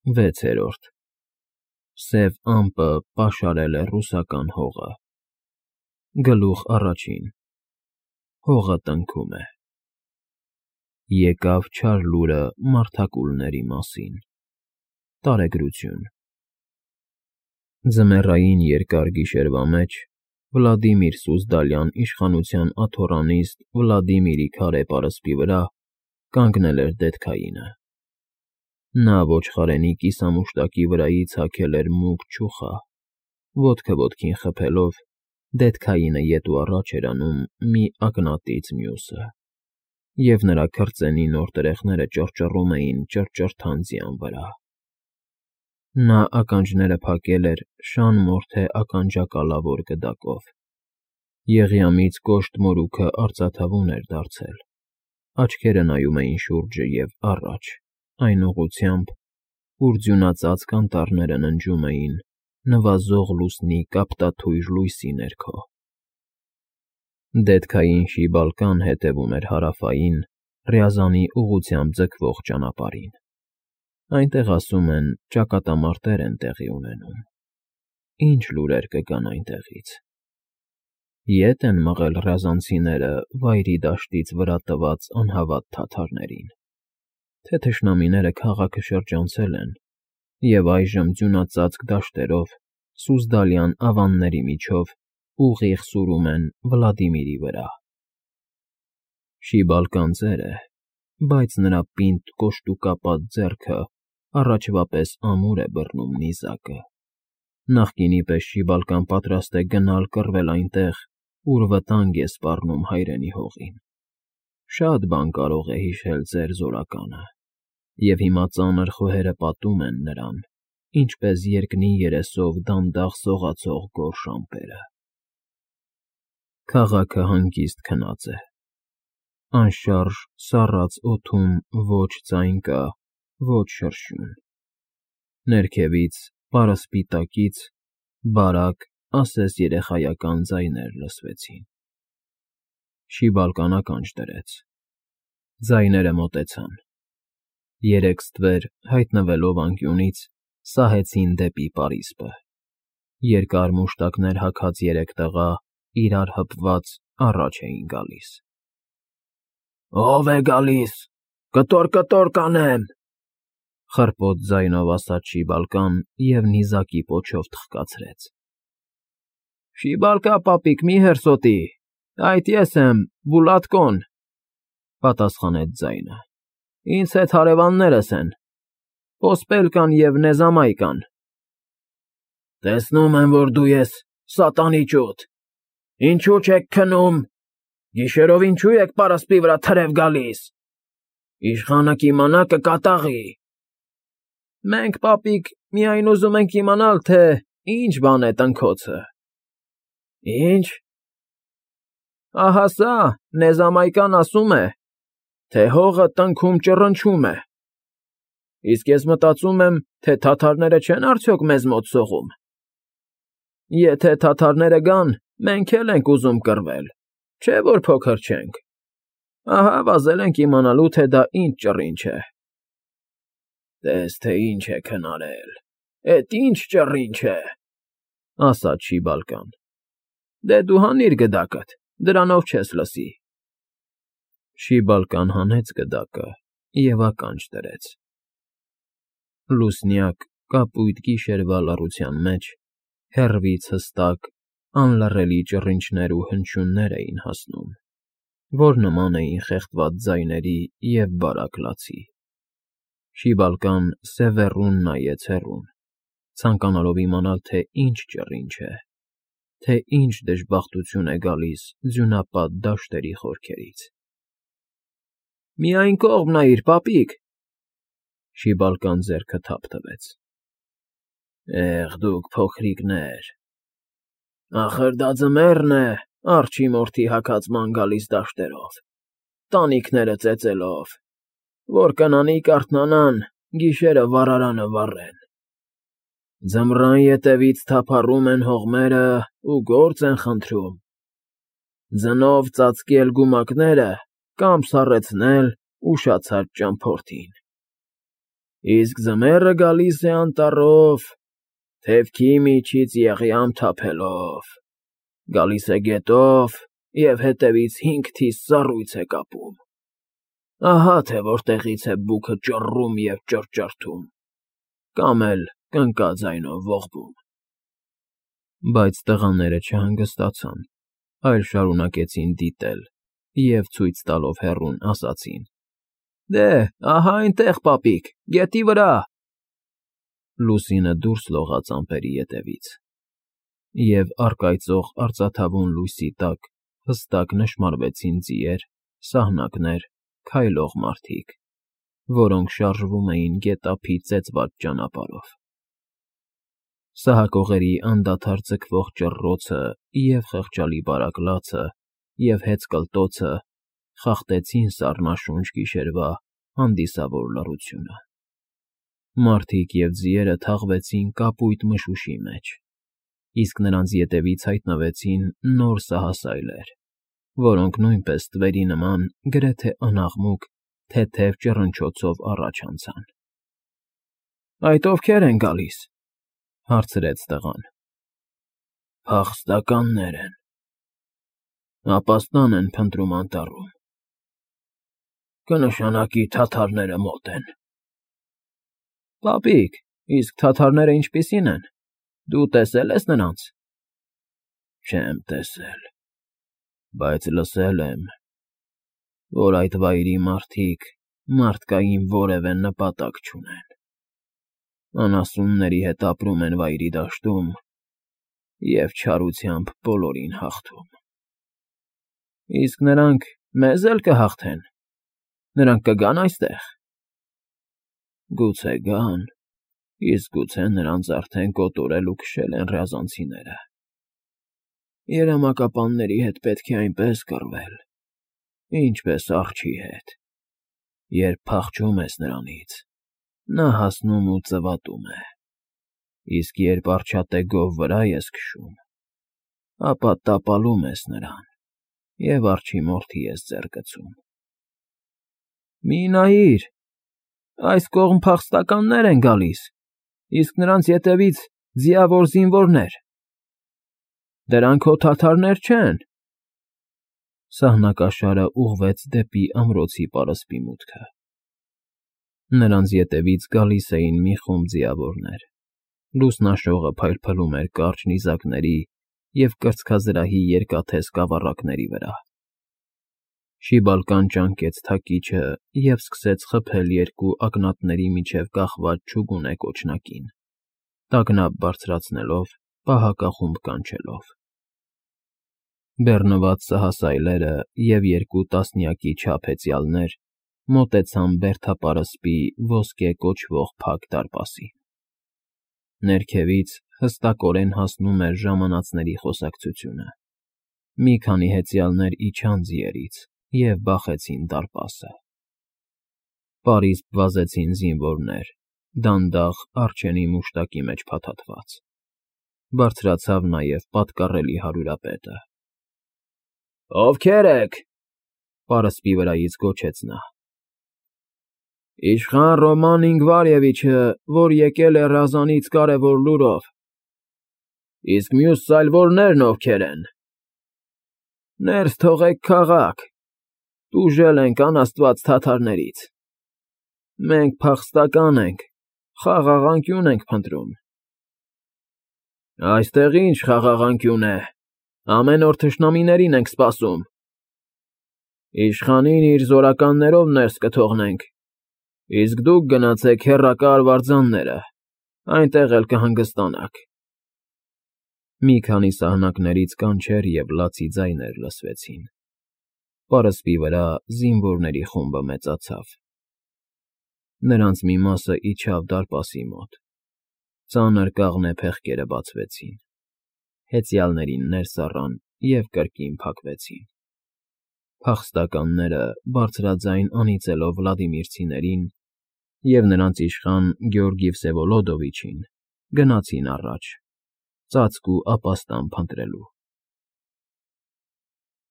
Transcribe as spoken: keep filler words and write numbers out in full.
վեցերորդ Սև ամպը պաշարել է ռուսական հողը։ Գլուխ առաջին Հողը տնքում է։ Եկավ չար լուրը մարդակուլների մասին։ Տարեգրություն Ձմեռային երկար գիշերվա մեջ Վլադիմիր Սուզդալյան իշխանության աթոռանիստ Վլադիմիրի քարե պարսպի վրա կանգնել էր դედքայինը։ Նա ոչխարենի կիսամուշտակի վրայից հագել էր մուգ չուխա, ոտքը ոտքին խփելով, դედքայինը ետ ու առաջ էր անում մի ակնատից մյուսը, և նրա քրծենի նոր տրեխները ճռճռում էին ճռճռթան ձյան վրա։ Նա ականջները փակել էր շան մորթե ականջակալավոր գդակով, եղյամից կոշտ մորուքը արծաթավուն էր դարձել, աչքերը նայում էին շուրջը և առաջ, այն ուղղությամբ, ուր ձյունածածկ անտառները ննջում էին նվազող լուսնի կապտաթույր լույսի ներքո։ Դედքային շիբալկան հետևում էր հարավային, Ռյազանի ուղղությամբ ձգվող ճանապարհին։ Այնտեղ, ասում են, ճակատամարտեր են տեղի ունենում։ Ինչ լուրեր կգան այնտեղից։ Ե՞տ են մղել ռյազանցիները Վայրի դաշտից վրա տված անհավատ թաթարներին, թե թշնամիները քաղաքը շրջանցել են և այժմ ձյունածածկ դաշտերով, Սուզդալյան ավանների միջով ուղիղ սուրում են Վլադիմիրի վրա։ Շիբալկան ծեր է, բայց նրա պինդ կոշտուկապատ ձեռքը առաջվա պես ամուր է բռնում նիզակը։ Նախկինի պես շիբալկան պատրաստ է գնալ կռվել այնտեղ, ուր վտանգ է սպառնում հայրենի հողին։ Շատ բան կարող է հիշել ծեր զորականը, և հիմա ծանր խոհերը պատում են նրան, ինչպես երկնի երեսով դանդաղ սողացող գորշ ամպերը։ Քաղաքը հանգիստ քնած է։ Անշարժ սառած օդում ոչ ձայն կա, ոչ շրշյուն։ Ներքևից, պարսպի տակից, բարակ, ասես երեխայական ձայներ լսվեցին։ Շիբալկան ականջ դրեց։ Ձայները մոտեցան։ Երեք ստվեր, հայտնվելով անկյունից, սահեցին դեպի պարիսպը։ Երկար մուշտակներ հագած երեք տղա, իրար հպված, առաջ էին գալիս։ «Ո՞վ է գալիս, կտոր֊կտոր կանեմ», խռպոտ ձայնով ասաց շիբալկան և նիզակի պոչով թխկացրեց։ «Շիբալկա պապիկ, մի հերսոտի, այդ ես եմ, Բուլատկոն», պատասխանեց ձայնը։ «Ինձ հետ հարևաններս են, Պոսպելկան և Նեզամայկան»։ «Տեսնում եմ, որ դու ես, սատանի ճուտ, ինչո՞ւ չեք քնում, գիշերով ինչո՞ւ եք պարսպի վրա թրև գալիս, իշխանը կիմանա կկատաղի»։ «Մենք, պապիկ, միայն ուզում ենք իմանալ, թե ինչ բան է տնքոցը»։ «Ի՞նչ»։ «Ահա սա, Նեզամայկան ասում է, թե հողը տնքում ճռնչում է, իսկ ես մտածում եմ, թե թաթարները չեն արդյոք մեզ մոտ սողում։ Եթե թաթարները գան, մենք էլ ենք ուզում կռվել, չէ՞ որ փոքր չենք, ահա վազել ենք իմանալու, թե դա ինչ ճռինչ է»։ «Տես, թե ինչ եք հնարել, էդ ինչ ճռինչ է», ասաց շիբալկան։ «Դե դու հանիր գդակդ, դրանով չես լսի»։ Շիբալկան հանեց գդակը և ականջ դրեց։ Լուսնյակ, կապույտ գիշերվա լռության մեջ հեռվից հստակ, անլռելի ճռինչներ ու հնչյուններ էին հասնում, որ նման էին խեղդված ձայների և բարակ լացի։ Շիբալկան սևեռուն նայեց հեռուն, ցանկանալով իմանալ, թե ինչ ճռինչ է, թե ինչ դժբախտություն է գալիս ձյունապատ դաշտերի խորքերից։ «Միայն կողմ նայիր, պապիկ», շիբալկան ձեռքը թափ տվեց։ «Էհ, դուք փոքրիկներ, ախր դա ձմեռն է, արջի մորթի հագած ման գալիս դաշտերով, տանիքները ծեծելով, որ կնանիք արթնանան, գիշերը վառարանը վառեն։ Ձմռան ետևից թափառում են հողմերը ու գործ են խնդրում, ձնով ծածկել գումակները կամ սառեցնել ուշացած ճամփորդին։ Իսկ ձմեռը գալիս է անտառով, թևքի միջից եղյամ թափելով, գալիս է գետով և հետևից հինգ թիս սառույց է կապում, ահա թե որտեղից է բուքը ճռռում և ճռճռթում, կամ էլ կնկաձայնով ողբում։ Բայց տղաները չհանգստացան, այլ շարունակեցին դիտել և ցույց տալով հեռուն ասացին. Դե, ահա այնտեղ, պապիկ, գետի վրա… Լուսինը դուրս լողաց ամպերի ետևից, և առկայծող արծաթավուն լույսի տակ հստակ նշմարվեցին ձիեր, սահնակներ, քայլող մարդիկ, որոնք շարժվում էին գետափի ծեծված ճանապարհով։ Սահակողերի անդադար ձգվող ճռռոցը և խղճալի բարակ լացը և հեծկլտոցը խախտեցին սառնաշունչ գիշերվա հանդիսավոր լռությունը։ Մարդիկ և ձիերը թաղվեցին կապույտ մշուշի մեջ, իսկ նրանց ետևից հայտնվեցին նոր սահասայլեր, որոնք նույնպես թվերի նման գրեթե անաղմուկ թեթև ճռնչոցով առաջ անցան։ ֊ Այդ ովքե՞ր են գալիս,֊ հարցրեց տղան։ ֊ Փախստականներ են, ապաստան են փնտրում անտառում, կնշանակի թաթարները մոտ են։ ֊ Պապիկ, իսկ թաթարները ինչպիսի՞ն են, դու տեսե՞լ ես նրանց։ ֊ Չեմ տեսել, բայց լսել եմ, որ այդ վայրի մարդիկ մարդկային որևէ նպատակ չունեն, անասունների հետ ապրում են վայրի դաշտում և չարությամբ բոլորին հաղթում։ ֊ Իսկ նրանք մեզ էլ կհաղթե՞ն, նրանք կգա՞ն այստեղ։ ֊ Գուցե գան, իսկ գուցե նրանց արդեն կոտորել ու քշել են ռյազանցիները։ Երամակապանների հետ պետք է այնպես կռվել, ինչպես արջի հետ. երբ փախչում ես նրանից, նա հասնում ու ծվատում է, իսկ երբ արջատեգով վրա ես քշում, ապա տապալում ես նրան և արջի մորթի ես ձեռ գցում։ ֊ Մի նայիր, այս կողմ փախստականներ են գալիս, իսկ նրանց ետևից ձիավոր զինվորներ… Դրանք հո թաթարներ չեն… Սահնակաշարը ուղղվեց դեպի ամրոցի պարսպի մուտքը։ Նրանց ետևից գալիս էին մի խումբ ձիավորներ, լուսնաշողը փայլփլում էր կարճ նիզակների և կրծքազրահի երկաթե սկավառակների վրա։ Շիբալկան ճանկեց թակիչը և սկսեց խփել երկու ակնատների միջև կախված չուգունե կոճնակին, տագնապ բարձրացնելով, պահակախումբ կանչելով։ Բեռնված սահասայլերը և երկու տասնյակի չափ հեծյալներ մոտեցան բերդապարսպի ոսկե կոչվող փակ դարպասին։ Ներքևից հստակորեն հասնում էր ժամանածների խոսակցությունը։ Մի քանի հեծյալներ իջան ձիերից և բախեցին դարպասը։ Պարիսպ վազեցին զինվորներ, դանդաղ առջևի մուշտակի մեջ փաթաթված։ Բարձրացավ նաև պատկառելի հարյուրապետը։ ֊ Ովքե՞ր եք,֊ պարսպի վրայից գոչեց նա։ ֊ Իշխան Ռոման Ինգվարևիչը, որ եկել է Ռազանից կարևոր լուրով։ ֊ Իսկ մյուս սայլվորնե՞րն ովքեր են։ ֊ Ներս թողեք քաղաք, տուժել ենք անաստված թաթարներից։ Մենք փախստական ենք, խաղաղ անկյուն ենք փնտրում։ ֊ Այստեղ ի՞նչ խաղաղ անկյուն է, ամեն օր թշնամիներին ենք սպասում։ ֊ Իշխանին իր զորականներով ներս կթողնենք, իսկ դուք գնացեք հեռակա արվարձանները, այնտեղ էլ կհանգստանաք։ Մի քանի սահնակներից կանչեր և լացի ձայներ լսվեցին։ Պարսպի վրա զինվորների խումբը մեծացավ։ Նրանց մի մասը իջավ դարպասի մոտ, ծանր կաղնե փեղկերը բացվեցին, հեծյալներին ներս առան և կրկին փակվեցին։ Փախստականները, բարձրաձայն անիծելով վլադիմիրցիներին և նրանց իշխան Գեորգի Վսևոլոդովիչին, գնացին առաջ, ծածկ ու ապաստան փնտրելու։